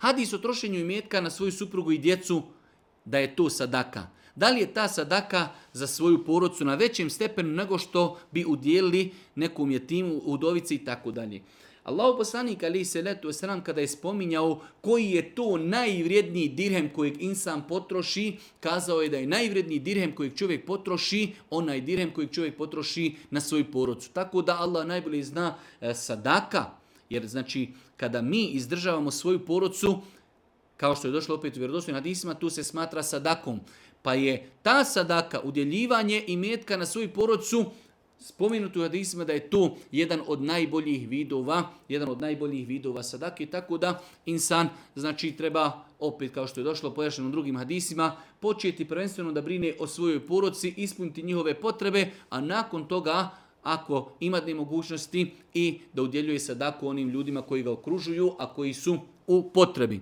Hadis o trošenju imetka na svoju suprugu i djecu, da je to sadaka. Da li je ta sadaka za svoju porodcu na većem stepenu nego što bi udjelili nekom jetimu, udovici i tako dalje. Allahu poslanik alejhi selatu vesselam kada je spominjao koji je to najvrijedniji dirhem kojeg insan potroši, kazao je da je najvrijedniji dirhem kojeg čovjek potroši, onaj dirhem kojeg čovjek potroši na svoju porodcu. Tako da Allah najbolje zna sadaka, jer znači kada mi izdržavamo svoju porodcu, kao što je došlo opet u vjerodostojnim hadisima, tu se smatra sadakom. Pa je ta sadaka, udjeljivanje imetka na svoju porodcu, spomenuto u hadisima da je to jedan od najboljih vidova sadake, tako da insan znači treba, opet kao što je došlo pojašnjeno u drugim hadisima, početi prvenstveno da brine o svojoj porodci, ispuniti njihove potrebe, a nakon toga, ako ima mogućnosti, i da udjeljuje sadaku onim ljudima koji ga okružuju, a koji su u potrebi.